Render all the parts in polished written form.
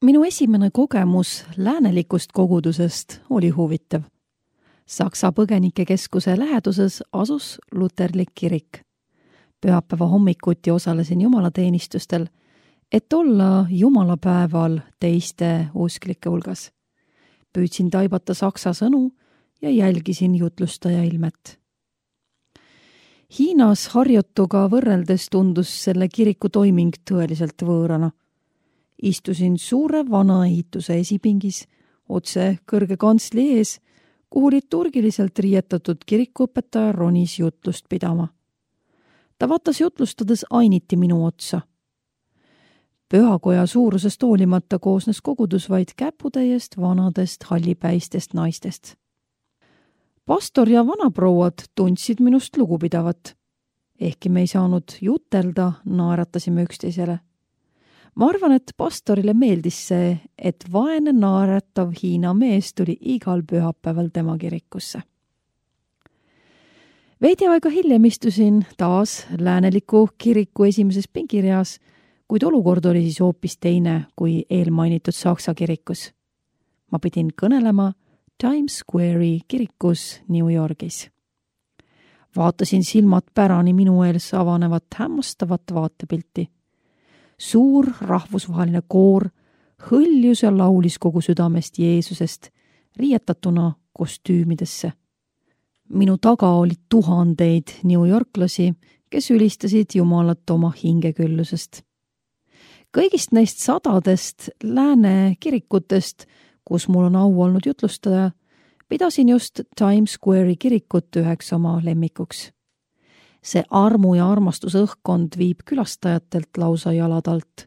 Minu esimene kogemus läänelikust kogudusest oli huvitav. Saksa põgenikekeskuse läheduses asus luterlik kirik. Pühapäeva hommikuti osalesin jumalateenistustel, et olla jumalapäeval teiste usklike hulgas. Püüdsin taibata saksa sõnu ja jälgisin jutlustaja ilmet. Hiinas harjutuga võrreldes tundus selle kiriku toiming tõeliselt võõrana. Istusin suure vana ehituse esipingis, otse kõrge kantsli ees, kuhu liturgiliselt riietatud kirikuõpetaja ronis jutlust pidama. Ta vaatas jutlustades ainiti minu otsa. Pühakoja suurusest hoolimata koosnes kogudus vaid käputäiest vanadest hallipäistest naistest. Pastor ja vanaprouad tundsid minust lugupidavat. Ehkki me ei saanud jutelda, naeratasime üksteisele. Ma arvan, et pastorile meeldis see, et vaene naeratav Hiina mees tuli igal pühapäeval tema kirikusse. Veidi aega hiljem istusin taas lääneliku kiriku esimeses pingireas, kuid olukord oli siis hoopis teine kui eelmainitud Saksa kirikus. Ma pidin kõnelema Times Square'i kirikus New Yorgis. Vaatasin silmad pärani minu ees avanevat hämmastavat vaatepilti. Suur rahvusvaheline koor hõljus ja laulis kogu südamest Jeesusest, riietatuna kostüümidesse. Minu taga oli tuhandeid newyorklasi, kes ülistasid Jumalat oma hingeküllusest. Kõigist neist sadadest lääne kirikutest, kus mul on au olnud jutlustada, pidasin just Times Square'i kirikut üheks oma lemmikuks. See armu ja armastuse õhkkond viib külastajatelt lausa jalad alt.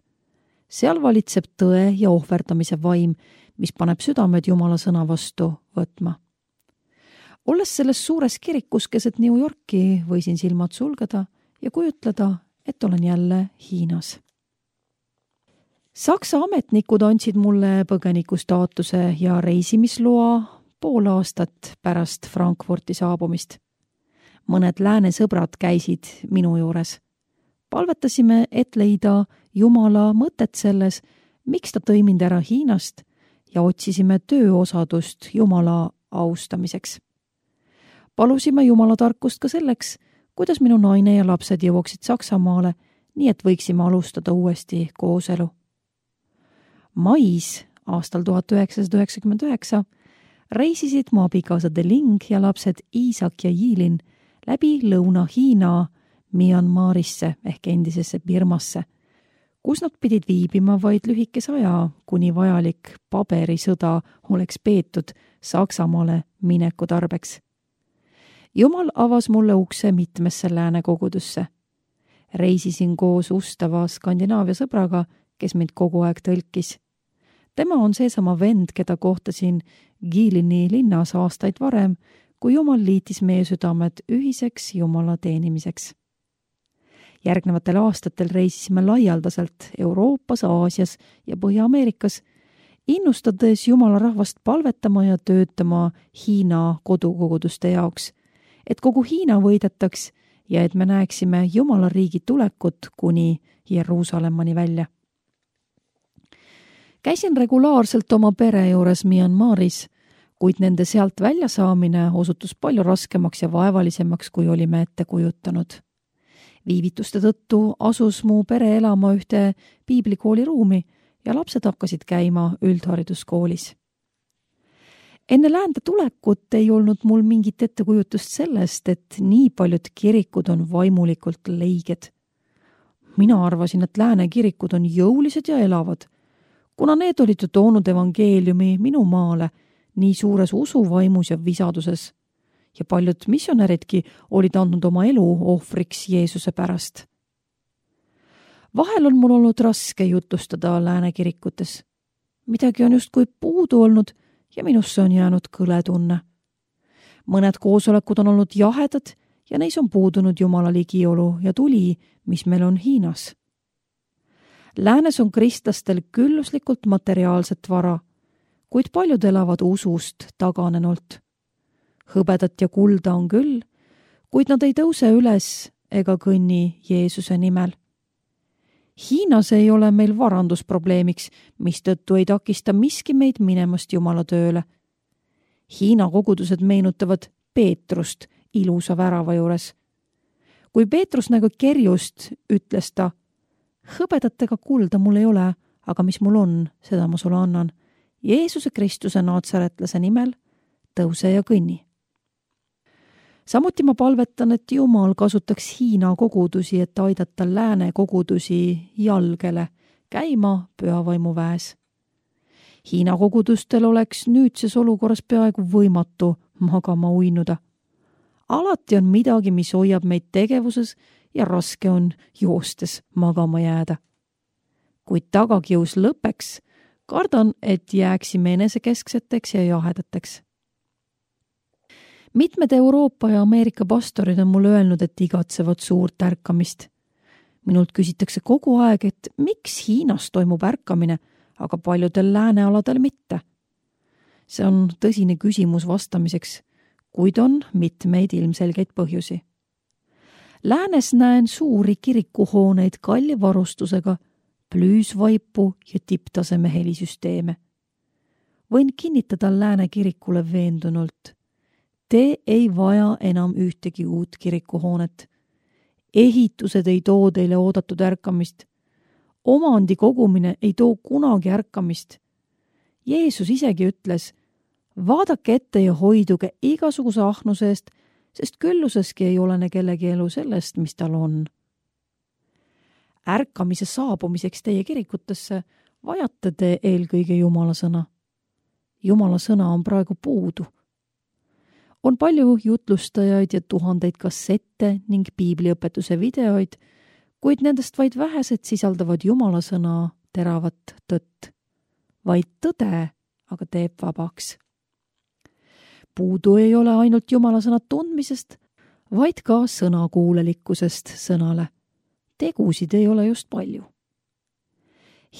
Seal valitseb tõe ja ohverdamise vaim, mis paneb südamed Jumala sõna vastu võtma. Olles selles suures kirikus keset New Yorki, võisin silmad sulgeda ja kujutleda, et olen jälle Hiinas. Saksa ametnikud andsid mulle põgeniku staatuse ja reisimisloa pool aastat pärast Frankfurti saabumist. Mõned lääne sõbrad käisid minu juures. Palvetasime, et leida Jumala mõtet selles, miks ta tõi mind ära Hiinast ja otsisime tööosadust Jumala austamiseks. Palusime Jumala tarkust ka selleks, kuidas minu naine ja lapsed jõuaksid Saksamaale, nii et võiksime alustada uuesti kooselu. Mais aastal 1999 reisisid mu abikaasa De Ling ja lapsed Iisak ja Yiilin läbi Lõuna-Hiina Myanmarisse ehk endisesse Birmasse, kus nad pidid viibima vaid lühikese aja, kuni vajalik paberisõda oleks peetud Saksamaale mineku tarbeks. Jumal avas mulle ukse mitmesse lääne kogudusse. Reisisin koos ustava Skandinaavia sõbraga, kes mind kogu aeg tõlkis. Tema on seesama vend, keda kohtasin Giilini linnas aastaid varem, kui Jumal liitis meie südamed ühiseks Jumala teenimiseks. Järgnevatel aastatel reisisime laialdaselt Euroopas, Aasias ja Põhja-Ameerikas, innustades Jumala rahvast palvetama ja töötama Hiina kodukoguduste jaoks, et kogu Hiina võidetaks ja et me näeksime Jumala riigi tulekut kuni Jeruusalemmani välja. Käisin regulaarselt oma pere juures Myanmaris, kuid nende sealt välja saamine osutus palju raskemaks ja vaevalisemaks, kui olime ette kujutanud. Viivituste tõttu asus mu pere elama ühte piiblikooli ruumi ja lapsed hakkasid käima üldhariduskoolis. Enne läände tulekut ei olnud mul mingit ettekujutust sellest, et nii paljud kirikud on vaimulikult leiged. Mina arvasin, et lääne kirikud on jõulised ja elavad, kuna need olid ju toonud evangeeliumi minu maale nii suures usuvaimus ja visaduses ja paljud missionäridki olid andnud oma elu ohvriks Jeesuse pärast. Vahel on mul olnud raske jutlustada lääne kirikutes. Midagi on justkui puudu olnud ja minusse on jäänud kõletunne. Mõned koosolekud on olnud jahedad ja neis on puudunud Jumala ligiolu ja tuli, mis meil on Hiinas. Läänes on kristlastel külluslikult materiaalset vara, kuid paljud elavad usust taganenult. Hõbedat ja kulda on küll, kuid nad ei tõuse üles ega kõnni Jeesuse nimel. Hiinas ei ole meil varandusprobleemiks, mistõttu ei takista miski meid minemast Jumala tööle. Hiina kogudused meenutavad Peetrust ilusa värava juures. Kui Peetrus nägu kerjust, ütles ta, hõbedat ega kulda mul ei ole, aga mis mul on, seda ma sulle annan. Jeesuse Kristuse naatsaretlase nimel tõuse ja kõnni. Samuti ma palvetan, et Jumal kasutaks Hiina kogudusi, et aidata lääne kogudusi jalgele käima pühavaimu väes. Hiina kogudustel oleks nüüdses olukorras peaaegu võimatu magama uinuda. Alati on midagi, mis hoiab meid tegevuses ja raske on joostes magama jääda. Kui tagakius lõpeks, kardan, et jääksime enesekeskseteks ja jahedateks. Mitmed Euroopa ja Ameerika pastorid on mulle öelnud, et igatsevad suurt ärkamist. Minult küsitakse kogu aeg, et miks Hiinas toimub ärkamine, aga paljudel läänealadel mitte. See on tõsine küsimus vastamiseks, kuid on mitmeid ilmselgeid põhjusi. Läänes näen suuri kirikuhooneid kalli varustusega, plüüsvaipu ja tipptaseme helisüsteeme. Võin kinnitada lääne kirikule veendunult. Te ei vaja enam ühtegi uut kirikuhoonet. Ehitused ei too teile oodatud ärkamist. Omandi kogumine ei too kunagi ärkamist. Jeesus isegi ütles, vaadake ette ja hoiduge igasuguse ahnuse eest, sest külluseski ei olene kellegi elu sellest, mis tal on. Ärkamise saabumiseks teie kirikutesse vajate te eelkõige Jumala sõna. Jumala sõna on praegu puudu. On palju jutlustajaid ja tuhandeid kassette ning piibliõpetuse videoid, kuid nendest vaid vähesed sisaldavad Jumala sõna teravat tõtt. Vaid tõde aga teeb vabaks. Puudu ei ole ainult Jumala sõna tundmisest, vaid ka sõnakuulelikkusest sõnale. Tegusid ei ole just palju.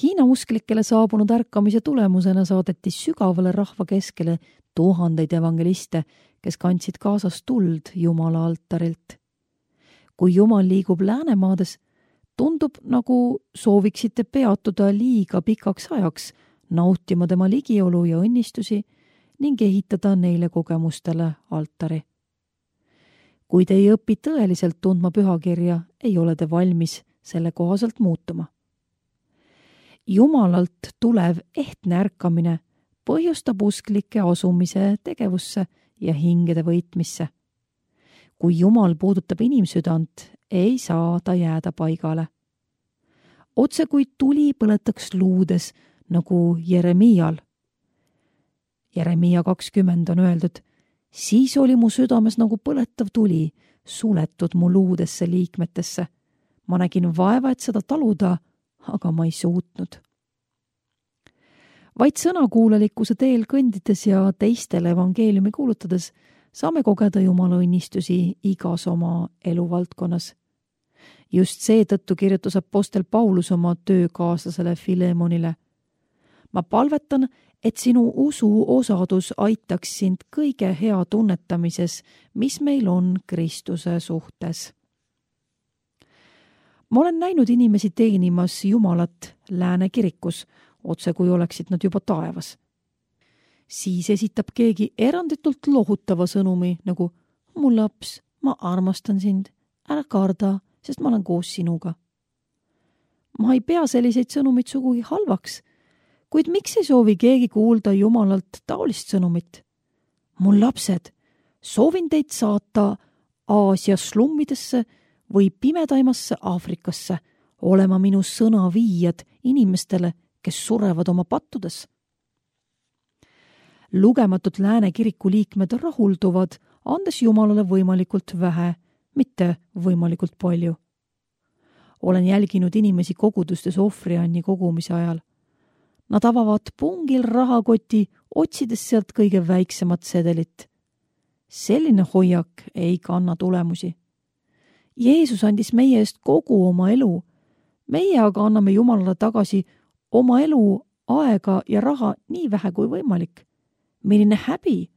Hiina usklikele saabunud ärkamise tulemusena saadeti sügavale rahva keskele tuhandeid evangeliste, kes kandsid kaasas tuld Jumala altarilt. Kui Jumal liigub läänemaades, tundub, nagu sooviksite peatuda liiga pikaks ajaks, nautima tema ligiolu ja õnnistusi ning ehitada neile kogemustele altari. Kui te ei õpi tõeliselt tundma pühakirja, ei ole te valmis selle kohaselt muutuma. Jumalalt tulev ehtne ärkamine põhjustab usklike asumise tegevusse ja hingede võitmisse. Kui Jumal puudutab inimsüdant, ei saa ta jääda paigale. Otse kui tuli põletaks luudes, nagu Jeremial. Jeremia 20 on öeldud, siis oli mu südames nagu põletav tuli, suletud mu luudesse liikmetesse. Ma nägin vaeva, et seda taluda, aga ma ei suutnud. Vaid sõnakuulelikkuse teel kõndides ja teistele evangeeliumi kuulutades saame kogeda Jumala õnnistusi igas oma eluvaldkonnas. Just seetõttu kirjutas apostel Paulus oma töökaaslasele Filemonile. Ma palvetan, et sinu usu osadus aitaks sind kõige hea tunnetamises, mis meil on Kristuse suhtes. Ma olen näinud inimesi teenimas Jumalat lääne kirikus, otse kui oleksid nad juba taevas. Siis esitab keegi eranditult lohutava sõnumi nagu mu laps, ma armastan sind, ära karda, sest ma olen koos sinuga. Ma ei pea selliseid sõnumid sugugi halvaks, kuid miks ei soovi keegi kuulda Jumalalt taolist sõnumit? Mu lapsed, soovin teid saata Aasia slummidesse või pimedaimasse Aafrikasse, olema minu sõna viijad inimestele, kes surevad oma pattudes. Lugematud lääne kiriku liikmed rahulduvad, andes Jumalale võimalikult vähe, mitte võimalikult palju. Olen jälginud inimesi kogudustes ohvrianni kogumise ajal. Nad avavad pungil rahakoti, otsides sealt kõige väiksemat sedelit. Selline hoiak ei kanna tulemusi. Jeesus andis meie eest kogu oma elu. Meie aga anname Jumalale tagasi oma elu, aega ja raha nii vähe kui võimalik. Milline häbi?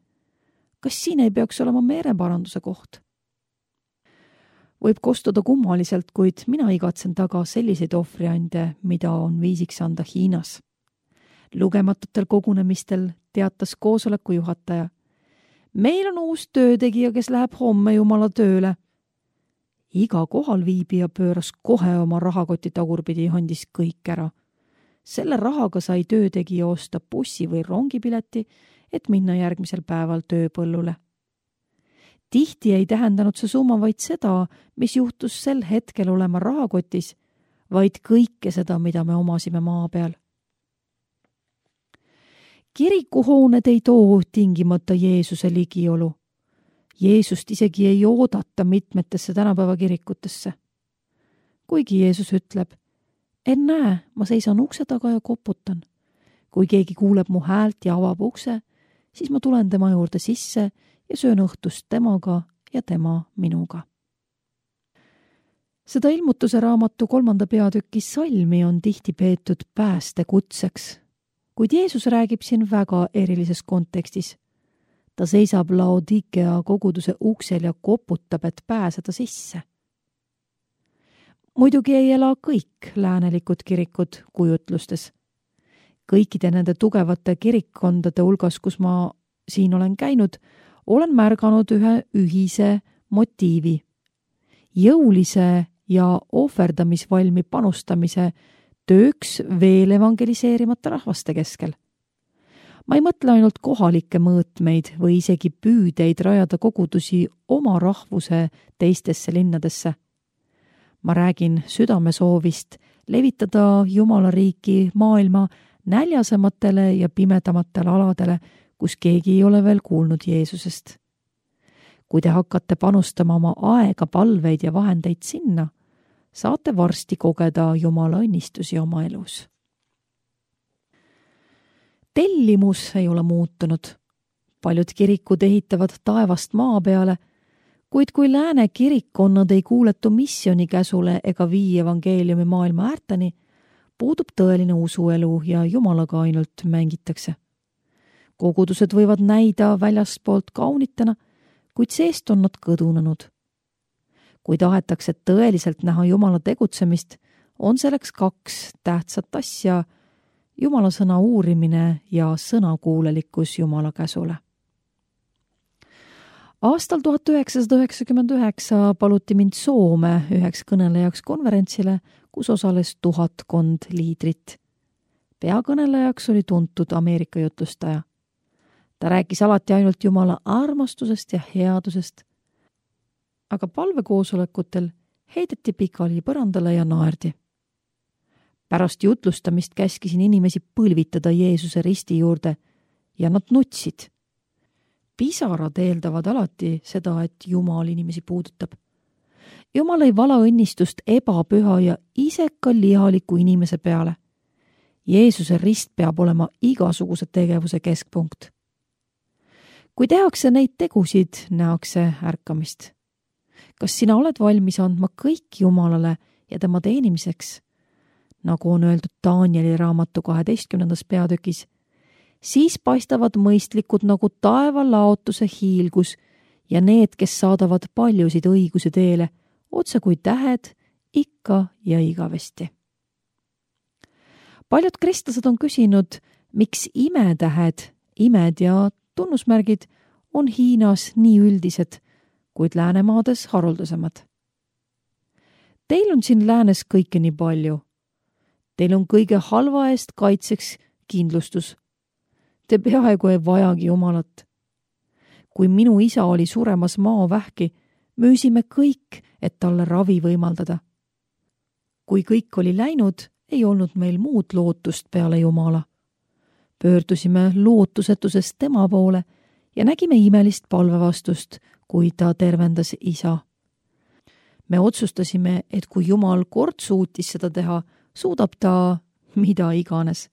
Kas siin ei peaks olema meeleparanduse koht? Võib kostuda kummaliselt, kuid mina igatsen taga selliseid ohvriande, mida on viisiks anda Hiinas. Lugematutel kogunemistel teatas koosoleku juhataja. Meil on uus töötegija, kes läheb homme Jumala tööle. Iga kohalviibija pööras kohe oma rahakoti tagurpidi ja andis kõik ära. Selle rahaga sai töötegija osta bussi või rongipileti, et minna järgmisel päeval tööpõllule. Tihti ei tähendanud see summa vaid seda, mis juhtus sel hetkel olema rahakotis, vaid kõike seda, mida me omasime maa peal. Kirikuhooned ei too tingimata Jeesuse ligiolu. Jeesust isegi ei oodata mitmetesse tänapäeva kirikutesse. Kuigi Jeesus ütleb, näe, ma seisan ukse taga ja koputan. Kui keegi kuuleb mu häält ja avab ukse, siis ma tulen tema juurde sisse ja söön õhtust temaga ja tema minuga. Seda ilmutuse raamatu 3. peatüki salmi on tihti peetud päästekutseks, kuid Jeesus räägib siin väga erilises kontekstis. Ta seisab Laodikea koguduse uksel ja koputab, et pääseda sisse. Muidugi ei ela kõik läänelikud kirikud kujutlustes. Kõikide nende tugevate kirikkondade hulgas, kus ma siin olen käinud, olen märganud ühe ühise motiivi. Jõulise ja ohverdamisvalmi panustamise tööks veel evangeliseerimata rahvaste keskel. Ma ei mõtle ainult kohalikke mõõtmeid või isegi püüdeid rajada kogudusi oma rahvuse teistesse linnadesse. Ma räägin südamesoovist levitada Jumala riiki maailma näljasematele ja pimedamatele aladele, kus keegi ei ole veel kuulnud Jeesusest. Kui te hakkate panustama oma aega, palveid ja vahendeid sinna, saate varsti kogeda Jumala õnnistusi oma elus. Tellimus ei ole muutunud. Paljud kirikud ehitavad taevast maa peale, kuid kui lääne kirikkonnad ei kuuletu missiooni käsule ega vii evangeeliumi maailma äärteni, puudub tõeline usuelu ja Jumalaga ainult mängitakse. Kogudused võivad näida väljaspoolt kaunitena, kuid seest on nad kõdunenud. Kui tahetakse tõeliselt näha Jumala tegutsemist, on selleks 2 tähtsat asja: Jumala sõna uurimine ja sõnakuulelikkus Jumala käsule. Aastal 1999 paluti mind Soome üheks kõnelejaks konverentsile, kus osales 1000 liidrit. Peakõnelejaks oli tuntud Ameerika jutlustaja. Ta rääkis alati ainult Jumala armastusest ja headusest, aga palvekoosolekutel heideti pikali põrandale ja naerdi. Pärast jutlustamist käskisin inimesi põlvitada Jeesuse risti juurde ja nad nutsid. Pisarad eeldavad alati seda, et Jumal inimesi puudutab. Jumal ei vala õnnistust ebapüha ja iseka lihaliku inimese peale. Jeesuse rist peab olema igasuguse tegevuse keskpunkt. Kui tehakse neid tegusid, nähakse ärkamist. Kas sina oled valmis andma kõik Jumalale ja tema teenimiseks? Nagu on öeldud Danieli raamatu 12. peatükis, siis paistavad mõistlikud nagu taeva laotuse hiilgus ja need, kes saadavad paljusid õiguse teele, otse kui tähed, ikka ja igavesti. Paljud kristlased on küsinud, miks imetähed, imed ja tunnusmärgid on Hiinas nii üldised, kuid läänemaades haruldasemad. Teil on siin läänes kõike nii palju. Teil on kõige halva eest kaitseks kindlustus. Te peaaegu ei vajagi Jumalat. Kui minu isa oli suremas maavähki, müüsime kõik, et talle ravi võimaldada. Kui kõik oli läinud, ei olnud meil muud lootust peale Jumala. Pöördusime lootusetusest tema poole ja nägime imelist palvevastust, kui ta tervendas isa. Me otsustasime, et kui Jumal kord suutis seda teha, suudab ta mida iganes.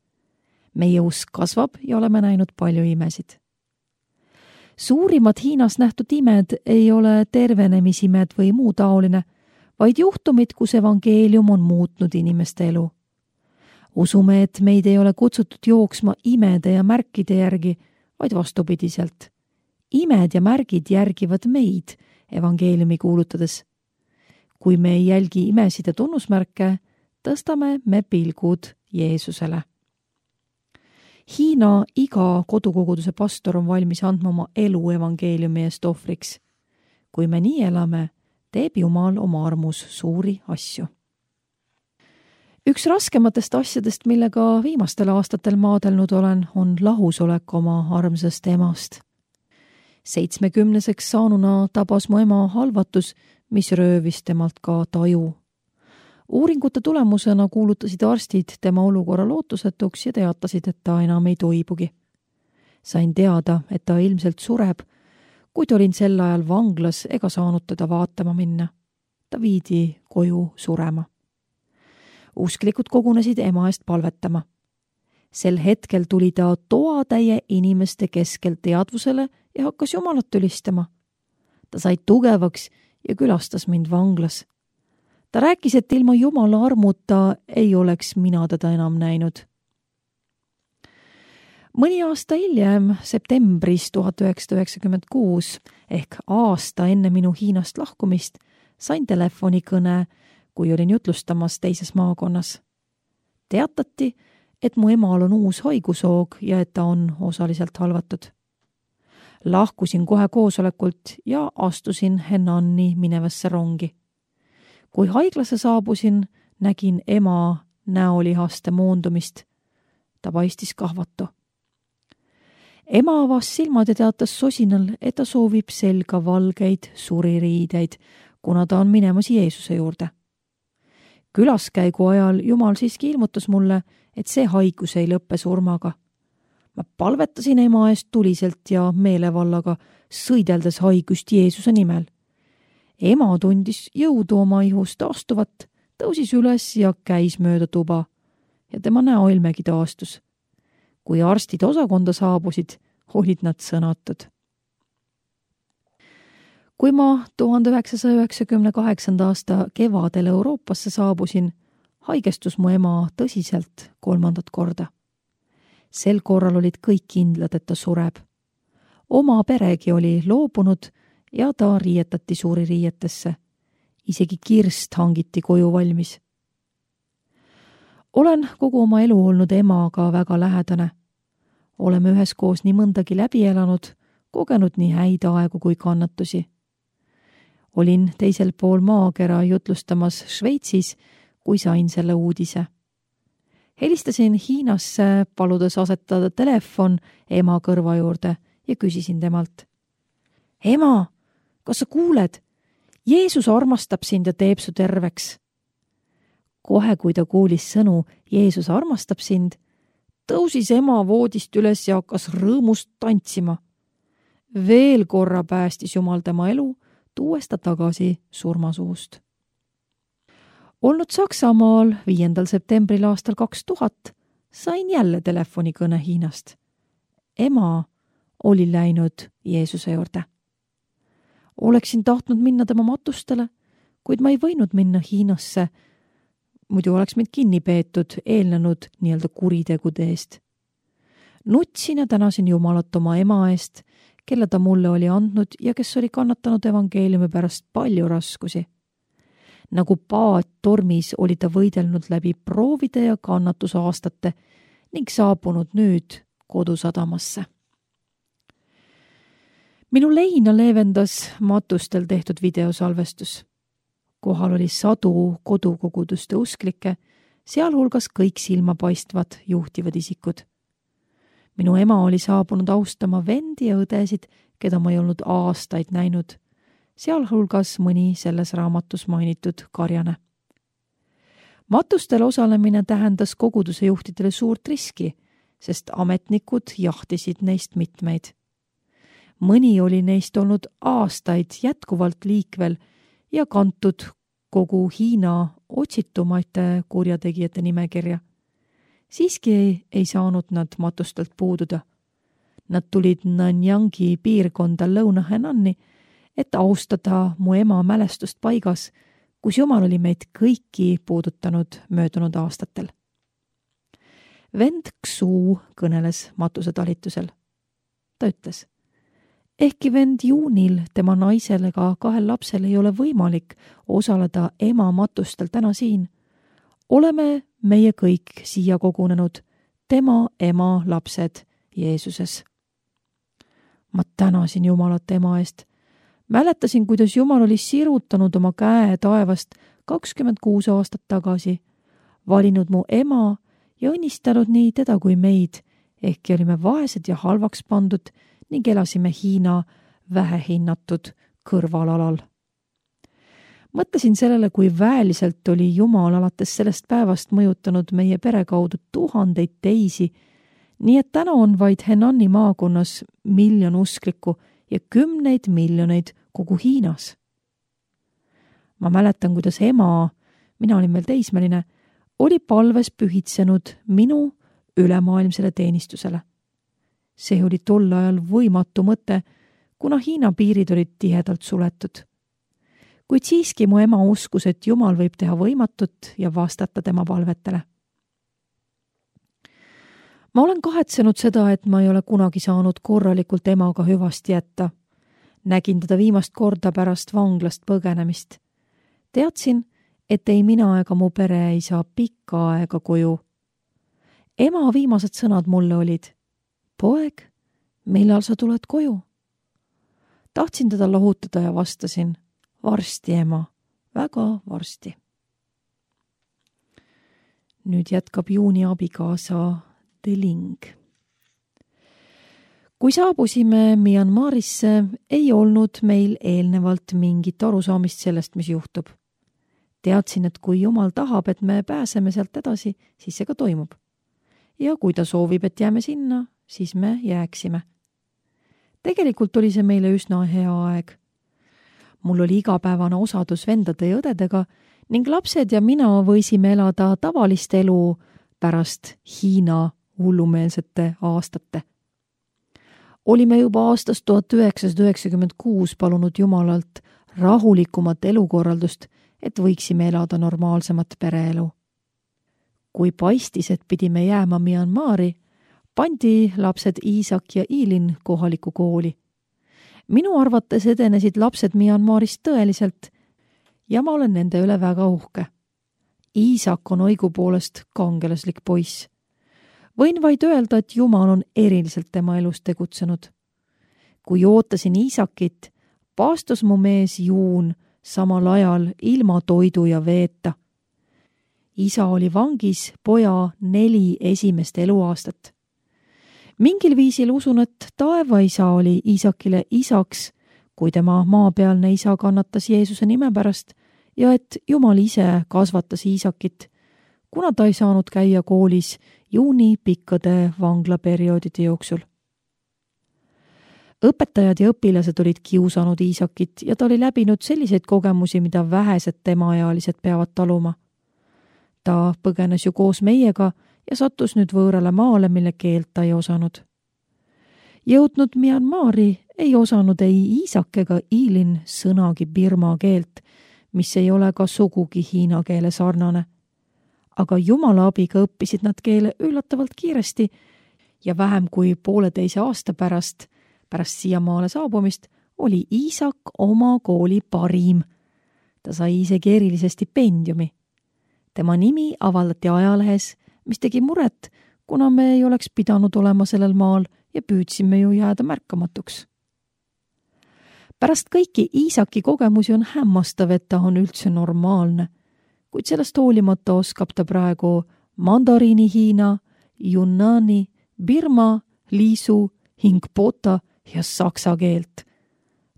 Meie usk kasvab ja oleme näinud palju imesid. Suurimad Hiinas nähtud imed ei ole tervenemisimed või muu taoline, vaid juhtumid, kus evangeelium on muutnud inimeste elu. Usume, et meid ei ole kutsutud jooksma imede ja märkide järgi, vaid vastupidiselt. Imed ja märgid järgivad meid evangeeliumi kuulutades. kui me ei jälgi imesid ja tunnusmärke, tõstame me pilgud Jeesusele. Hiina iga kodukoguduse pastor on valmis andma oma elu evangeeliumi eest ohvriks. Kui me nii elame, teeb Jumal oma armus suuri asju. Üks raskematest asjadest, millega viimastel aastatel maadelnud olen, on lahusolek oma armsast emast. 70-seks saanuna tabas mu ema halvatus, mis röövis temalt ka taju. Uuringute tulemusena kuulutasid arstid tema olukorra lootusetuks ja teatasid, et ta enam ei toibugi. Sain teada, et ta ilmselt sureb, kuid olin sel ajal vanglas ega saanud teda vaatama minna. Ta viidi koju surema. Usklikud kogunesid ema eest palvetama. Sel hetkel tuli ta toatäie inimeste keskel teadvusele ja hakkas Jumalat ülistama. Ta sai tugevaks ja külastas mind vanglas. Ta rääkis, et ilma Jumala armuta ei oleks mina teda enam näinud. Mõni aasta hiljem, septembris 1996, ehk aasta enne minu Hiinast lahkumist, sain telefonikõne, kui olin jutlustamas teises maakonnas. Teatati, et mu emal on uus haigushoog ja et ta on osaliselt halvatud. Lahkusin kohe koosolekult ja astusin Henanni minevasse rongi. Kui haiglasse saabusin, nägin ema näolihaste moondumist. Ta paistis kahvatu. Ema avas silmad ja teatas sosinal, et ta soovib selga valgeid suririideid, kuna ta on minemas Jeesuse juurde. Külaskäigu ajal Jumal siiski ilmutas mulle, et see haigus ei lõppe surmaga. Ma palvetasin ema eest tuliselt ja meelevallaga, sõideldes haigust Jeesuse nimel. Ema tundis jõudu oma ihust taastuvat, tõusis üles ja käis mööda tuba ja tema näoilmegi taastus. Kui arstid osakonda saabusid, olid nad sõnatud. Kui ma 1998. aasta kevadel Euroopasse saabusin, haigestus mu ema tõsiselt 3. korda. Sel korral olid kõik kindlad, et ta sureb. Oma peregi oli loobunud ja ta riietati suuri riietesse. Isegi kirst hangiti koju valmis. Olen kogu oma elu olnud emaga väga lähedane. Oleme üheskoos nii mõndagi läbi elanud, kogenud nii häid aegu kui kannatusi. Olin teisel pool maakera jutlustamas Šveitsis, kui sain selle uudise. Helistasin Hiinasse, paludes asetada telefon ema kõrva juurde ja küsisin temalt. Ema, kas sa kuuled? Jeesus armastab sind ja teeb su terveks. Kohe, kui ta kuulis sõnu Jeesus armastab sind, tõusis ema voodist üles ja hakkas rõõmust tantsima. Veel korra päästis Jumal tema elu, tuues ta tagasi surmasuust. Olnud Saksamaal 5. septembril aastal 2000 sain jälle telefonikõne Hiinast. Ema oli läinud Jeesuse juurde. Oleksin tahtnud minna tema matustele, kuid ma ei võinud minna Hiinasse, muidu oleks mind kinni peetud eelnenud nii-öelda kuritegude eest. Nutsin ja tänasin Jumalat oma ema eest, kelle ta mulle oli andnud ja kes oli kannatanud evangeeliumi pärast palju raskusi. Nagu paat tormis oli ta võidelnud läbi proovide ja kannatusaastate ning saabunud nüüd kodusadamasse. Minu leina leevendas matustel tehtud videosalvestus. Kohal oli sadu kodukoguduste usklikke, sealhulgas kõik silmapaistvad juhtivad isikud. Minu ema oli saabunud austama vendi ja õdesid, keda ma ei olnud aastaid näinud, sealhulgas mõni selles raamatus mainitud karjane. Matustel osalemine tähendas koguduse juhtidele suurt riski, sest ametnikud jahtisid neist mitmeid. Mõni oli neist olnud aastaid jätkuvalt liikvel ja kantud kogu Hiina otsitumate kurjategijate nimekirja. Siiski ei saanud nad matustelt puududa. Nad tulid Nanyangi piirkonda Lõuna-Henanni, et austada mu ema mälestust paigas, kus Jumal oli meid kõiki puudutanud möödunud aastatel. Vend Xu kõneles matuse talitusel. Ta ütles, Ehkki vend Juunil, tema naisel ega 2 lapsel ei ole võimalik osaleda ema matustel täna siin, oleme meie kõik siia kogunenud, tema ema lapsed Jeesuses. Ma tänasin Jumalat ema eest. Mäletasin, kuidas Jumal oli sirutanud oma käe taevast 26 aastat tagasi, valinud mu ema ja õnnistanud nii teda kui meid, ehkki olime vaesed ja halvaks pandud ning elasime Hiina vähehinnatud kõrvalalal. Mõtlesin sellele, kui väeliselt oli Jumal alates sellest päevast mõjutanud meie pere kaudu tuhandeid teisi, nii et täna on vaid Henani maakonnas 1 miljon usklikku ja 10 miljoneid kogu Hiinas. Ma mäletan, kuidas ema, mina olin veel teismeline, oli palves pühitsenud minu ülemaailmsele teenistusele. See oli tol ajal võimatu mõte, kuna Hiina piirid olid tihedalt suletud. Kuid siiski mu ema uskus, et Jumal võib teha võimatut ja vastata tema palvetele. Ma olen kahetsenud seda, et ma ei ole kunagi saanud korralikult emaga hüvasti jätta. Nägin teda viimast korda pärast vanglast põgenemist. Teadsin, et ei mina ega mu pere ei saa pikka aega koju. Ema viimased sõnad mulle olid: "Poeg, millal sa tuled koju?" Tahtsin teda lohutada ja vastasin: "Varsti, ema, väga varsti." Nüüd jätkab Juuni abikaasa Deling. Kui saabusime Myanmarisse, ei olnud meil eelnevalt mingit arusaamist sellest, mis juhtub. Teadsin, et kui Jumal tahab, et me pääseme sealt edasi, siis see ka toimub. Ja kui ta soovib, et jääme sinna, siis me jääksime. Tegelikult oli see meile üsna hea aeg. Mul oli igapäevane osadus vendade ja õdedega ning lapsed ja mina võisime elada tavalist elu pärast Hiina hullumeelsete aastate. Olime juba aastast 1996 palunud Jumalalt rahulikumat elukorraldust, et võiksime elada normaalsemat pereelu. Kui paistis, et pidime jääma Myanmari, pandi lapsed Iisak ja Iilin kohalikku kooli. Minu arvates edenesid lapsed Myanmarist tõeliselt ja ma olen nende üle väga uhke. Iisak on õigupoolest kangelaslik poiss. Võin vaid öelda, et Jumal on eriliselt tema elus tegutsenud. Kui ootasin Iisakit, paastus mu mees Juun samal ajal ilma toidu ja veeta. Isa oli vangis poja 4 esimest eluaastat. Mingil viisil usun, et taevaisa oli Iisakile isaks, kui tema maapealne isa kannatas Jeesuse nime pärast ja et Jumal ise kasvatas Iisakit, kuna ta ei saanud käia koolis Juuni pikkade vanglaperioodide jooksul. Õpetajad ja õpilased olid kiusanud Iisakit ja ta oli läbinud selliseid kogemusi, mida vähesed temaealised peavad taluma. Ta põgenes ju koos meiega ja sattus nüüd võõrale maale, mille keelt ta ei osanud. Jõudnud Myanmari ei osanud ei Iisak ega Iilin sõnagi Birma keelt, mis ei ole ka sugugi hiina keele sarnane. Aga Jumala abiga õppisid nad keele üllatavalt kiiresti ja vähem kui 1,5 aasta pärast siiamaale saabumist oli Iisak oma kooli parim. Ta sai isegi erilise stipendiumi. Tema nimi avaldati ajalehes, mis tegi muret, kuna me ei oleks pidanud olema sellel maal ja püüdsime ju jääda märkamatuks. Pärast kõiki Iisaki kogemusi on hämmastav, et ta on üldse normaalne, kuid sellest hoolimata oskab ta praegu mandariini Hiina, Yunnani, Birma, Liisu, Hingpota ja saksa keelt.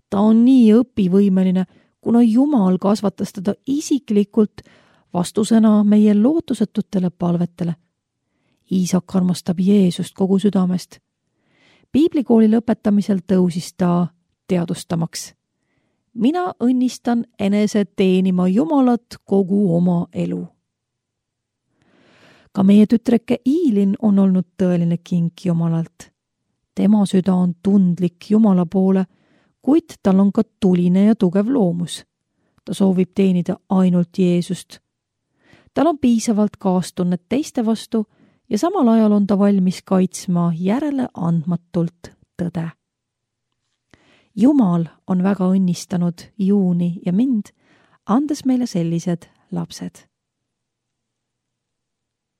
Ta on nii õpivõimeline, kuna Jumal kasvatas teda isiklikult vastusena meie lootusetutele palvetele. Iisak armastab Jeesust kogu südamest. Piiblikooli lõpetamisel tõusis ta teadustamaks. Mina õnnistan enese teenima Jumalat kogu oma elu. Ka meie tütreke Iilin on olnud tõeline kink Jumalalt. Tema süda on tundlik Jumala poole, kuid tal on ka tuline ja tugev loomus. Ta soovib teenida ainult Jeesust. Tal on piisavalt kaastunnet teiste vastu ja samal ajal on ta valmis kaitsma järele andmatult tõde. Jumal on väga õnnistanud Juuni ja mind, andes meile sellised lapsed.